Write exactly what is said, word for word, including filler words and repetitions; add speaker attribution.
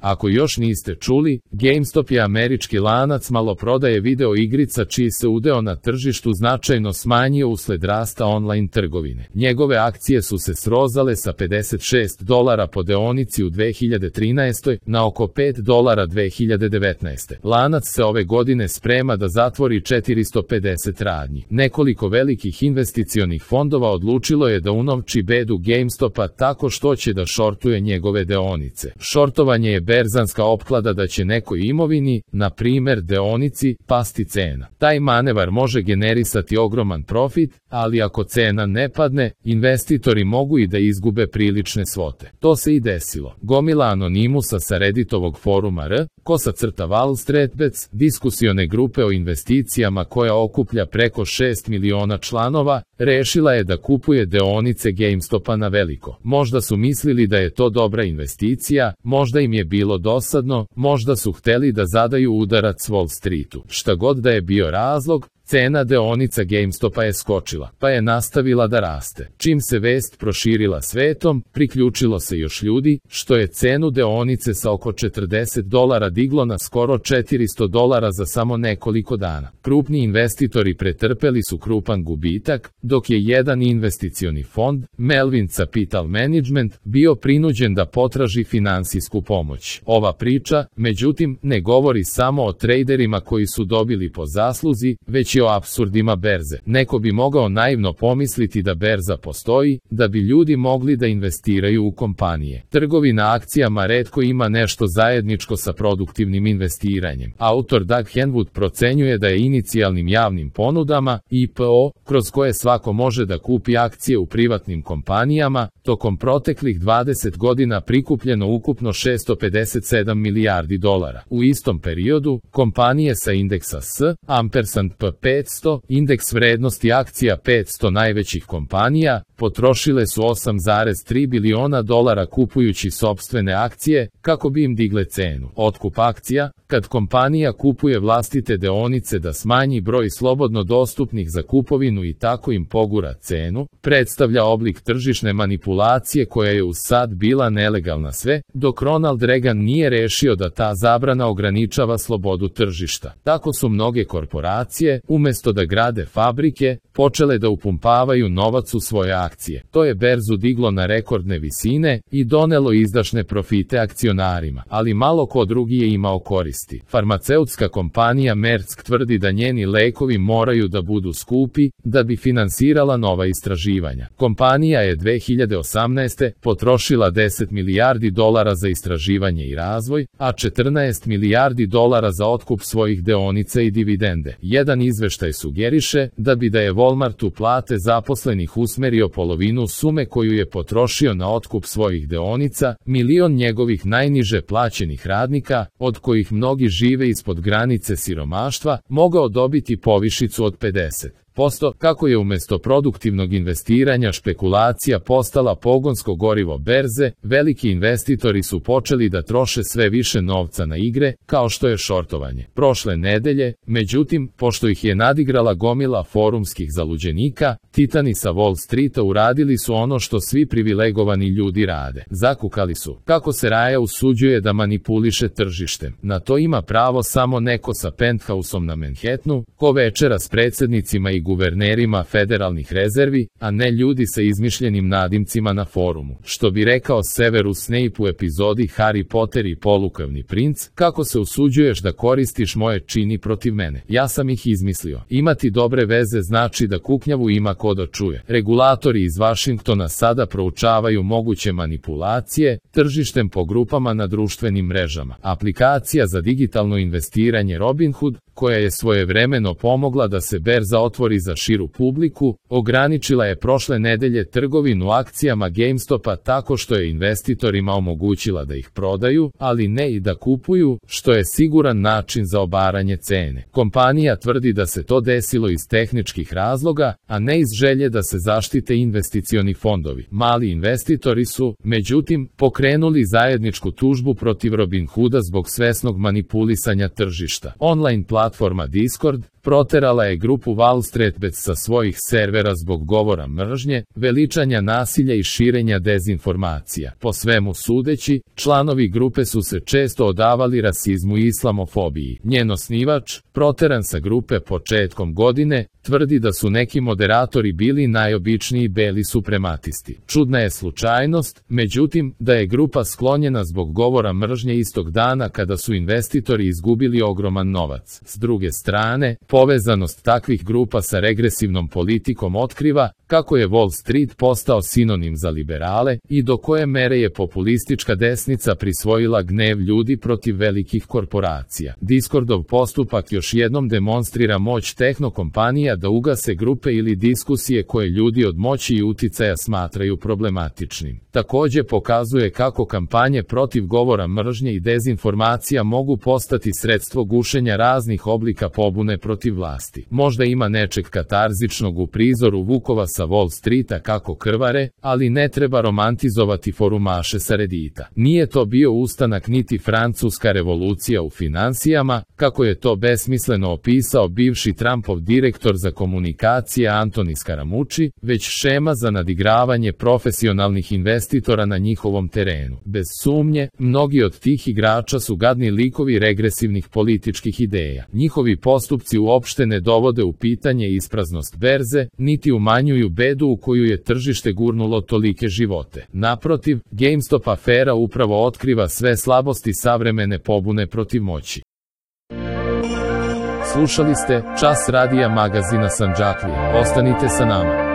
Speaker 1: Ako još niste čuli, GameStop je američki lanac maloprodaje video igrica čiji se udeo na tržištu značajno smanjio usled rasta online trgovine. Njegove akcije su se srozale sa pedeset šest dolara po deonici u dve hiljade trinaestoj na oko pet dolara dve hiljade devetnaeste. Lanac se ove godine sprema da zatvori četiristo pedeset radnji. Nekoliko velikih investicionih fondova odlučilo je da unovči bedu GameStopa tako što će da šortuje njegove deonice. Šortovanje je berzanska opklada da će nekoj imovini, na primer deonici, pasti cena. Taj manevar može generisati ogroman profit, ali ako cena ne padne, investitori mogu i da izgube prilične svote. To se i desilo. Gomila anonimusa sa Redditovog foruma R, kosa crta Wall Street Bets, diskusione grupe o investicijama koja okuplja preko šest miliona članova, rešila je da kupuje deonice GameStopa na veliko. Možda su mislili da je to dobra investicija, možda im je bilo dosadno, možda su hteli da zadaju udarac Wall Streetu. Šta god da je bio razlog, cena deonica GameStopa je skočila, pa je nastavila da raste. Čim se vest proširila svetom, priključilo se još ljudi, što je cenu deonice sa oko četrdeset dolara diglo na skoro četiristo dolara za samo nekoliko dana. Krupni investitori pretrpeli su krupan gubitak, dok je jedan investicioni fond, Melvin Capital Management, bio prinuđen da potraži finansijsku pomoć. Ova priča, međutim, ne govori samo o trejderima koji su dobili po zasluzi, već o apsurdima berze. Neko bi mogao naivno pomisliti da berza postoji, da bi ljudi mogli da investiraju u kompanije. Trgovina akcijama retko ima nešto zajedničko sa produktivnim investiranjem. Autor Doug Henwood procenjuje da je inicijalnim javnim ponudama, I P O, kroz koje svako može da kupi akcije u privatnim kompanijama, tokom proteklih dvadeset godina prikupljeno ukupno šesto pedeset sedam milijardi dolara. U istom periodu, kompanije sa indeksa S, ampersand P petsto, indeks vrednosti akcija petsto najvećih kompanija, potrošile su osam zarez tri biliona dolara kupujući sopstvene akcije, kako bi im digle cenu. Otkup akcija, kad kompanija kupuje vlastite deonice da smanji broj slobodno dostupnih za kupovinu i tako im pogura cenu, predstavlja oblik tržišne manipulacije koja je uz sad bila nelegalna sve, dok Ronald Reagan nije rešio da ta zabrana ograničava slobodu tržišta. Tako su mnoge korporacije, umesto da grade fabrike, počele da upumpavaju novac u svoje akcije. To je berzu diglo na rekordne visine i donelo izdašne profite akcionarima, ali malo ko drugi je imao koristi. Farmaceutska kompanija Merck tvrdi da njeni lekovi moraju da budu skupi, da bi finansirala nova istraživanja. Kompanija je dve hiljade osamnaeste. potrošila deset milijardi dolara za istraživanje i razvoj, a četrnaest milijardi dolara za otkup svojih deonica i dividende. Jedan izveštaj sugeriše da bi da je Walmartu plate zaposlenih usmerio polovinu sume koju je potrošio na otkup svojih deonica, milion njegovih najniže plaćenih radnika, od kojih mnogi žive ispod granice siromaštva, mogao dobiti povišicu od pedeset posto, kako je umesto produktivnog investiranja špekulacija postala pogonsko gorivo berze, veliki investitori su počeli da troše sve više novca na igre, kao što je šortovanje. Prošle nedelje, međutim, pošto ih je nadigrala gomila forumskih zaluđenika, titani sa Wall Streeta uradili su ono što svi privilegovani ljudi rade. Zakukali su, kako se Raja usuđuje da manipuliše tržištem. Na to ima pravo samo neko sa penthausom na Manhattanu, ko večera s predsjednicima i guvernerima federalnih rezervi, a ne ljudi sa izmišljenim nadimcima na forumu. Što bi rekao Severus Snape u epizodi Harry Potter i polukavni princ, kako se usuđuješ da koristiš moje čini protiv mene. Ja sam ih izmislio. Imati dobre veze znači da kuknjavu ima ko da čuje. Regulatori iz Vašingtona sada proučavaju moguće manipulacije tržištem po grupama na društvenim mrežama. Aplikacija za digitalno investiranje Robinhood, koja je svojevremeno pomogla da se berza otvori za širu publiku, ograničila je prošle nedelje trgovinu akcijama GameStopa tako što je investitorima omogućila da ih prodaju, ali ne i da kupuju, što je siguran način za obaranje cene. Kompanija tvrdi da se to desilo iz tehničkih razloga, a ne iz želje da se zaštite investicioni fondovi. Mali investitori su, međutim, pokrenuli zajedničku tužbu protiv Robinhooda zbog svesnog manipulisanja tržišta. Online platforma platforma Discord proterala je grupu Wall Street Bets sa svojih servera zbog govora mržnje, veličanja nasilja i širenja dezinformacija. Po svemu sudeći, članovi grupe su se često odavali rasizmu i islamofobiji. Njen osnivač, proteran sa grupe početkom godine, tvrdi da su neki moderatori bili najobičniji beli suprematisti. Čudna je slučajnost, međutim, da je grupa sklonjena zbog govora mržnje istog dana kada su investitori izgubili ogroman novac. S druge strane, povezanost takvih grupa sa regresivnom politikom otkriva kako je Wall Street postao sinonim za liberale i do koje mere je populistička desnica prisvojila gnev ljudi protiv velikih korporacija. Discordov postupak još jednom demonstrira moć tehnokompanija da ugase grupe ili diskusije koje ljudi od moći i uticaja smatraju problematičnim. Takođe pokazuje kako kampanje protiv govora mržnje i dezinformacija mogu postati sredstvo gušenja raznih oblika pobune protiv vlasti. Možda ima nečeg katarzičnog u prizoru vukova sa Wall Streeta kako krvare, ali ne treba romantizovati forumaše sa Reddita. Nije to bio ustanak niti francuska revolucija u finansijama, kako je to besmisleno opisao bivši Trumpov direktor za komunikacije Antoni Scaramucci, već šema za nadigravanje profesionalnih investitora na njihovom terenu. Bez sumnje, mnogi od tih igrača su gadni likovi regresivnih političkih ideja. Njihovi postupci uopšte ne dovode u pitanje ispraznost berze, niti umanjuju bedu u koju je tržište gurnulo tolike živote. Naprotiv, GameStop afera upravo otkriva sve slabosti savremene pobune protiv moći. Slušali ste Čas radija magazina Sandžaklija. Ostanite sa nama.